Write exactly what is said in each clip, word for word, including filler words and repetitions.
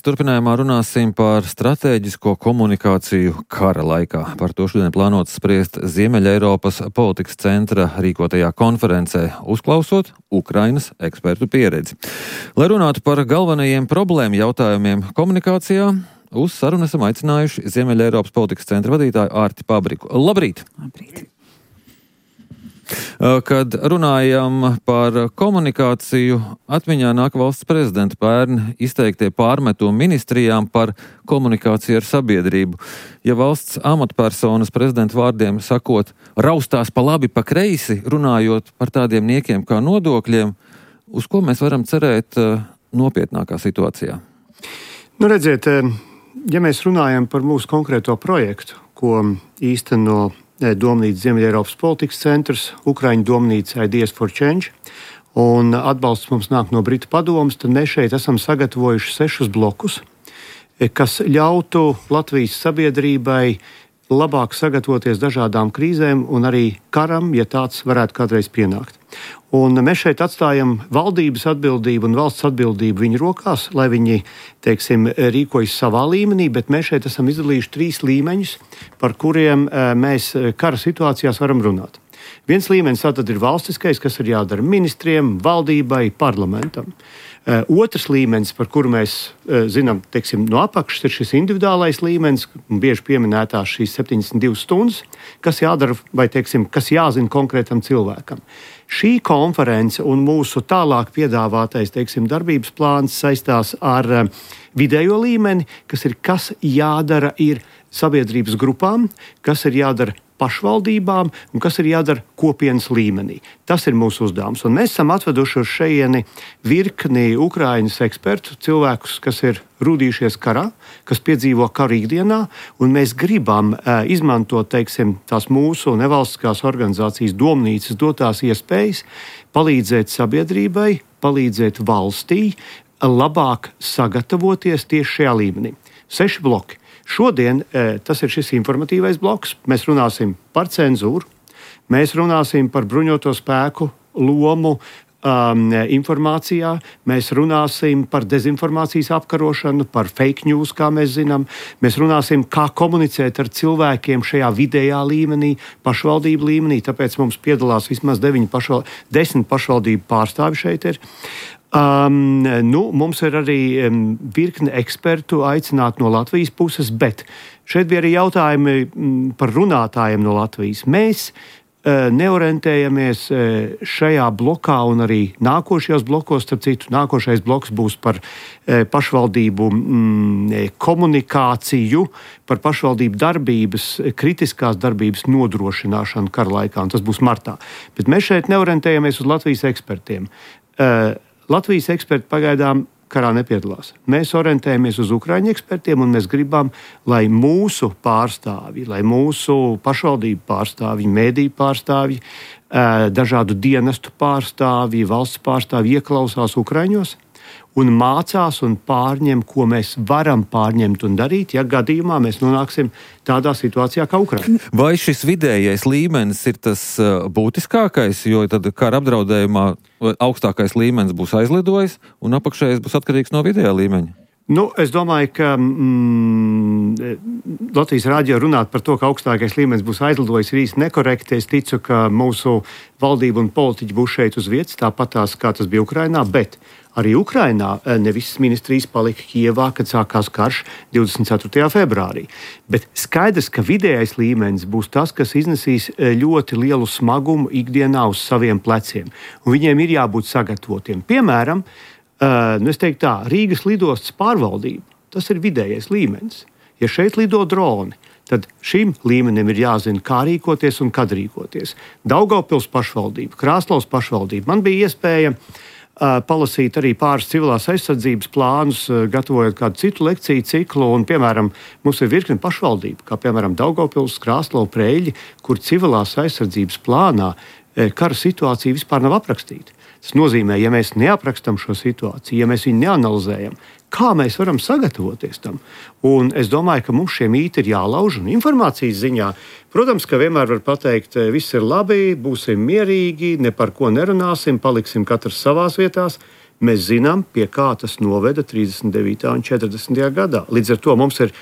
Turpinājumā runāsim par stratēģisko komunikāciju kara laikā. Par to šodien plānots spriest Ziemeļeiropas politikas centra rīkotajā konferencē, uzklausot Ukrainas ekspertu pieredzi. Lai runātu par galvenajiem problēmu jautājumiem komunikācijā, uz sarunu esam aicinājuši Ziemeļeiropas politikas centra vadītāju Ārti Pabriku. Labrīt! Labrīt! Kad runājam par komunikāciju, atmiņā nāk valsts prezidenta pērn izteiktie pārmetumi ministrijām par komunikāciju ar sabiedrību. Ja valsts amatpersonas prezidenta vārdiem sakot, raustās pa labi, pa kreisi, runājot par tādiem niekiem kā nodokļiem, uz ko mēs varam cerēt nopietnākā situācijā? Nu, redziet, ja mēs runājam par mūsu konkrēto projektu, ko īsteno Domnīca Ziemeļeiropas politikas centrs, Ukraiņu domnīca Ideas for Change, un atbalsts mums nāk no Britu padomes, tad mēs šeit esam sagatavojuši sešus blokus, kas ļautu Latvijas sabiedrībai labāk sagatavoties dažādām krīzēm un arī karam, ja tāds varētu kādreiz pienākt. Un mēs šeit atstājam valdības atbildību un valsts atbildību viņu rokās, lai viņi, teiksim, rīkojas savā līmenī, bet mēs šeit esam izdalījuši trīs līmeņus, par kuriem mēs kara situācijās varam runāt. Viens līmenis tātad ir valstiskais, kas ir jādara ministriem, valdībai, parlamentam. Otrs līmenis, par kuru mēs zinām, teiksim, no apakšas, ir šis individuālais līmenis, bieži pieminētās šīs septiņdesmit divas stundas, kas jādara vai, teiksim, kas jāzina konkrētam cilvēkam. Šī konference un mūsu tālāk piedāvātais, teiksim, darbības plāns saistās ar vidējo līmeni, kas ir, kas jādara ir sabiedrības grupām, kas ir jādara pašvaldībām un kas ir jādara kopienas līmenī. Tas ir mūsu uzdevums. Un mēs esam atveduši uz šejieni virkni Ukrainas ekspertu, cilvēkus, kas ir rūdījušies karā, kas piedzīvo karu ikdienā, un mēs gribam uh, izmantot, teiksim, tās mūsu nevalstiskās organizācijas domnīcas dotās iespējas, palīdzēt sabiedrībai, palīdzēt valstī, labāk sagatavoties tieši šajā līmenī. Seši bloki. Šodien tas ir šis informatīvais bloks. Mēs runāsim par cenzūru, mēs runāsim par bruņoto spēku lomu um, informācijā, mēs runāsim par dezinformācijas apkarošanu, par fake news, kā mēs zinām. Mēs runāsim, kā komunicēt ar cilvēkiem šajā vidējā līmenī, pašvaldību līmenī. Tāpēc mums piedalās vismaz deviņi pašval... desmit pašvaldību pārstāvi šeit ir. Um, nu, mums ir arī um, virkne ekspertu aicināt no Latvijas puses, bet šeit bija arī jautājumi um, par runātājiem no Latvijas. Mēs uh, neorientējamies uh, šajā blokā un arī nākošajos blokos, starp citu, nākošais bloks būs par uh, pašvaldību um, komunikāciju, par pašvaldību darbības, kritiskās darbības nodrošināšanu kara laikā, un tas būs martā. Bet mēs šeit neorientējamies uz Latvijas ekspertiem. Uh, Latvijas eksperti pagaidām karā nepiedalās. Mēs orientējamies uz Ukraiņu ekspertiem, un mēs gribam, lai mūsu pārstāvji, lai mūsu pašvaldību pārstāvji, mēdīju pārstāvji, dažādu dienestu pārstāvji, valsts pārstāvji ieklausās Ukraiņos un mācās un pārņem, ko mēs varam pārņemt un darīt, ja gadījumā mēs nonāksim tādā situācijā kā Ukraina. Vai šis vidējais līmenis ir tas būtiskākais, jo tad kara apdraudējumā augstākais līmenis būs aizlidojis un apakšējais būs atkarīgs no vidējā līmeņa? Nu, es domāju, ka mm, Latvijas rādio runāt par to, ka augstākais līmenis būs aizlidojis, ir īsti nekorekti. Es ticu, ka mūsu valdība un politiķi būs šeit uz vietas, tāpatās, kā tas bija Ukrainā, bet arī Ukrainā ne visas ministrijas palika Kijevā, kad sākās karš divdesmit ceturtajā februārī. Bet skaidrs, ka vidējais līmenis būs tas, kas iznesīs ļoti lielu smagumu ikdienā uz saviem pleciem. Un viņiem ir jābūt sagatavotiem. Piemēram, Uh, nu es teiktu tā, Rīgas lidostas pārvaldība, tas ir vidējais līmenis. Ja šeit lido droni, tad šim līmenim ir jāzina, kā rīkoties un kad rīkoties. Daugavpils pašvaldība, Krāslavas pašvaldība. Man bija iespēja uh, palasīt arī pāris civilās aizsardzības plānus, uh, gatavojot kādu citu lekciju ciklu. Un, piemēram, mums ir virkni pašvaldība, kā piemēram Daugavpils, Krāslava, Preļļi, kur civilās aizsardzības plānā uh, kara situācija vispār nav aprakstīta. Tas nozīmē, ja mēs neaprakstam šo situāciju, ja mēs viņu neanalizējam, kā mēs varam sagatavoties tam. Un es domāju, ka mums šie mīti ir jālauž un informācijas ziņā. Protams, ka vienmēr var pateikt, viss ir labi, būsim mierīgi, ne par ko nerunāsim, paliksim katrs savās vietās. Mēs zinām, pie kā tas noveda trīsdesmit devītajā un četrdesmitajā gadā. Līdz ar to mums ir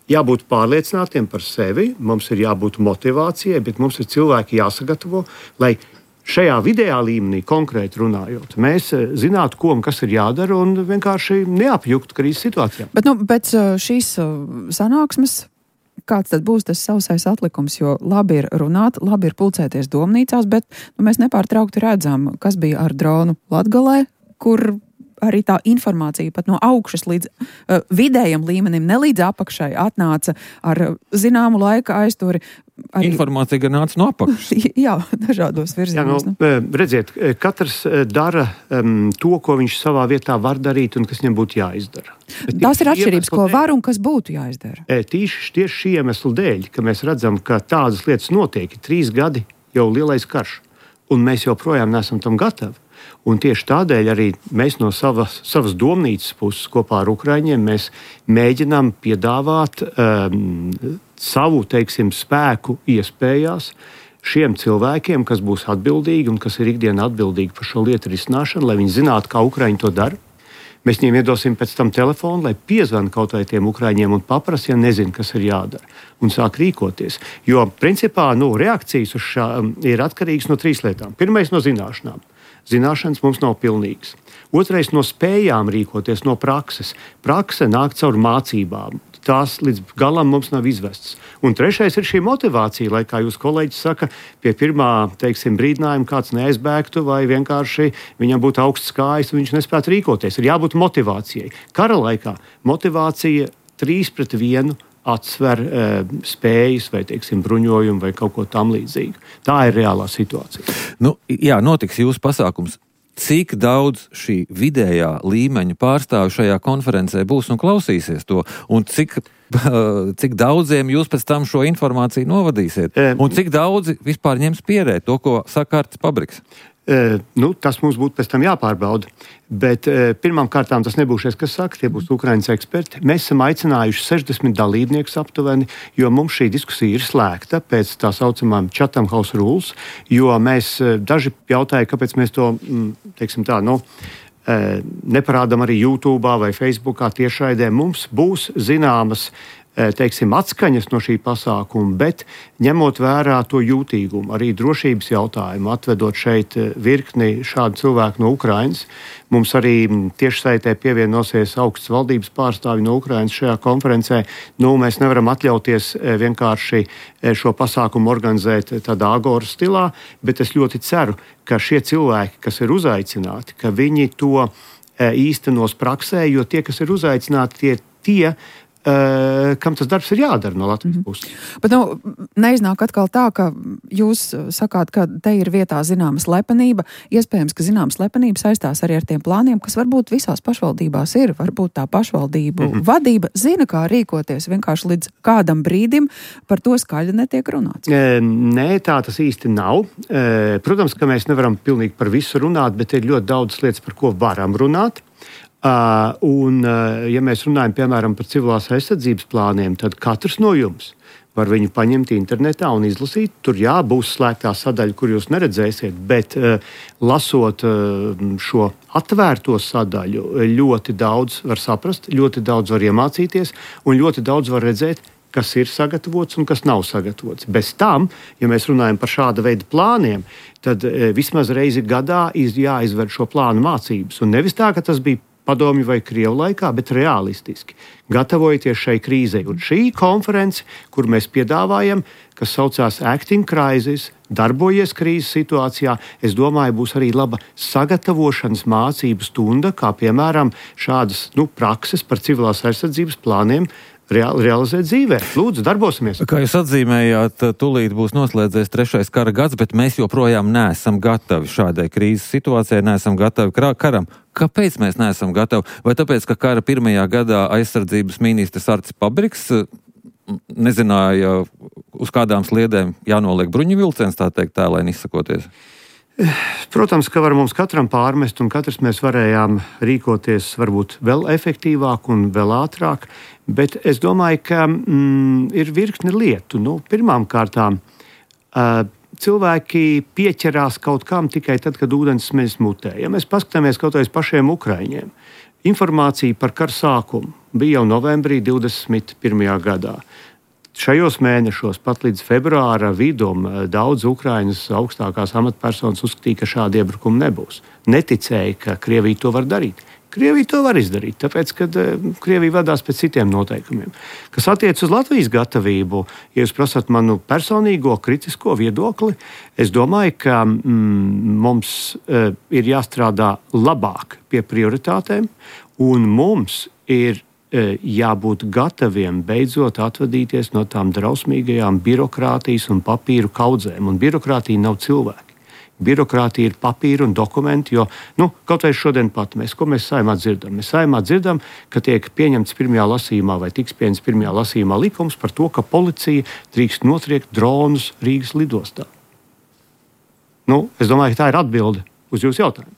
jābūt pārliecinātiem par sevi, mums ir jābūt motivācijai, bet mums ir cilvēki jāsagatavo, lai šajā vidējā līmenī, konkrēti runājot, mēs zinātu, ko un kas ir jādara un vienkārši neapjuktu krīzes situācijā. Bet nu, pēc šīs sanāksmes, kāds tad būs tas sausais atlikums, jo labi ir runāt, labi ir pulcēties domnīcās, bet nu, mēs nepārtraukti redzam, kas bija ar dronu Latgalē, kur arī tā informācija pat no augšas līdz uh, vidējam līmenim, ne līdz apakšai, atnāca ar zināmu laika aizturi. Arī... Informācija gan nāca no apakšas. Jā, dažādos virzienos. Jā, nu, redziet, katrs dara um, to, ko viņš savā vietā var darīt un kas viņam būtu jāizdara. Bet tās ir atšķirības, ko dēļ, var un kas būtu jāizdara. Tieši, tieši šī iemesla dēļ, ka mēs redzam, ka tādas lietas notiek, trīs gadi jau lielais karš, un mēs joprojām neesam tam gatavi. Un tieši tādēļ arī mēs no savas, savas domnīcas puses kopā ar Ukraiņiem mēs mēģinām piedāvāt um, savu, teiksim, spēku iespējās šiem cilvēkiem, kas būs atbildīgi un kas ir ikdienā atbildīgi par šo lietu risināšanu, lai viņi zinātu, kā Ukraiņi to dara. Mēs viņiem iedosim pēc tam telefonu, lai piezvan kaut vai tiem Ukraiņiem un paprasa, ja nezinu, kas ir jādara, un sāk rīkoties. Jo, principā, nu, reakcijas uz šā ir atkarīgas no trīs lietām. Pirmais no zināšanām. Zināšanas mums nav pilnīgas. Otrais no spējām rīkoties, no prakses. Prakse nāk caur mācībām. Tās līdz galam mums nav izvestas. Un trešais ir šī motivācija, lai, kā jūs kolēģis saka, pie pirmā, teiksim, brīdinājuma kāds neaizbēgtu vai vienkārši viņam būtu augsts kājas un viņš nespētu rīkoties. Ir jābūt motivācijai. Kara laikā motivācija trīs pret vienu atsver e, spējas vai, teiksim, bruņojumu vai kaut ko tam līdzīgu. Tā ir reālā situācija. Nu, jā, notiks jūsu pasākums. Cik daudz šī vidējā līmeņa pārstāvju šajā konferencē būs un klausīsies to? Un cik, cik daudziem jūs pēc tam šo informāciju novadīsiet? E, un cik daudzi vispār ņems pierēt to, ko saka Artis Pabriks? E, nu, tas mums būtu pēc tam jāpārbauda. Bet e, pirmām kārtām tas nebūs šis, kas saka, tie būs Ukraiņas eksperti. Mēs esam aicinājuši sešdesmit dalībniekus aptuveni, jo mums šī diskusija ir slēgta pēc tā saucamām Chatham House Rules, jo mēs daži jautāja, kāpēc mēs to, teiksim tā, nu, e, neparādām arī YouTube vai Facebookā tiešraidē. Mums būs zināmas teiksim, atskaņas no šī pasākuma, bet ņemot vērā to jūtīgumu, arī drošības jautājumu, atvedot šeit virkni šādu cilvēku no Ukrainas. Mums arī tiešsaitē pievienosies augsts valdības pārstāvji no Ukrainas šajā konferencē. Nu, mēs nevaram atļauties vienkārši šo pasākumu organizēt tādā agoras stilā, bet es ļoti ceru, ka šie cilvēki, kas ir uzaicināti, ka viņi to īstenos praksē, jo tie, kas ir uzaicināti, tie tie, Uh, kam tas darbs ir jādara no Latvijas puses. Mm-hmm. Bet nu, neiznāk atkal tā, ka jūs sakāt, ka te ir vietā zināma slepenība. Iespējams, ka zināma slepenība saistās arī ar tiem plāniem, kas varbūt visās pašvaldībās ir. Varbūt tā pašvaldību mm-hmm. vadība zina, kā rīkoties. Vienkārši līdz kādam brīdim par to skaļi netiek runāts. E, nē, tā tas īsti nav. E, protams, ka mēs nevaram pilnīgi par visu runāt, bet ir ļoti daudz lietas, par ko varam runāt. Uh, un, uh, ja mēs runājam, piemēram, par civilās aizsardzības plāniem, tad katrs no jums var viņu paņemt internetā un izlasīt. Tur jā, būs slēgtā sadaļa, kur jūs neredzēsiet, bet uh, lasot uh, šo atvērto sadaļu, ļoti daudz var saprast, ļoti daudz var iemācīties un ļoti daudz var redzēt, kas ir sagatavots un kas nav sagatavots. Bez tam, ja mēs runājam par šāda veida plāniem, tad uh, vismaz reizi gadā iz, jāizver šo plānu mācības. Un nevis tā, ka tas bija padomju vai Krievu laikā, bet realistiski. Gatavojoties šai krīzei. Un šī konference, kur mēs piedāvājam, kas saucās Acting Crisis, darbojies krīzes situācijā, es domāju, būs arī laba sagatavošanas mācību stunda, kā piemēram šādas nu, prakses par civilās aizsardzības plāniem real, realizēt dzīvē. Lūdzu, darbosimies. Kā jūs atzīmējāt, tūlīt būs noslēdzies trešais kara gads, bet mēs joprojām neesam gatavi šādai krīzes situācijai, neesam gatavi karam. Kāpēc mēs neesam gatavi? Vai tāpēc, ka kara pirmajā gadā aizsardzības ministrs Artis Pabriks nezināja, uz kādām sliedēm jānoliek bruņu vilciens, tā teikt, tēlēni izsakoties? Protams, ka var mums katram pārmest, un katrs mēs varējām rīkoties varbūt vēl efektīvāk un vēl ātrāk, bet es domāju, ka mm, ir virkni lietu. Nu, pirmām kārtām, uh, cilvēki pieķerās kaut kam tikai tad, kad ūdens smeļas mutē. Ja mēs paskatāmies kaut vai uz pašiem ukraiņiem, informācija par kara sākumu bija jau novembrī divdesmit pirmajā gadā. Šajos mēnešos, pat līdz februāra vidum, daudz Ukrainas augstākās amatpersonas uzskatīja, ka šādi iebrukumi nebūs. Neticēja, ka Krievija to var darīt. Krievija to var izdarīt, tāpēc, ka Krievija vadās pēc citiem noteikumiem. Kas attiec uz Latvijas gatavību, ja jūs prasat manu personīgo kritisko viedokli, es domāju, ka mm, mums uh, ir jāstrādā labāk pie prioritātēm, un mums ir uh, jābūt gataviem beidzot atvadīties no tām drausmīgajām birokrātijas un papīru kaudzēm, un birokrātija nav cilvēki. Birokrātija ir papīra un dokumenti, jo, nu, kaut vai šodien pat mēs, ko mēs Saeimā dzirdam? Mēs Saeimā dzirdam, ka tiek pieņemts pirmajā lasījumā vai tiks pieņemts pirmajā lasījumā likums par to, ka policija drīkst notriekt dronus Rīgas lidostā. Nu, es domāju, ka tā ir atbilde uz jūsu jautājumu.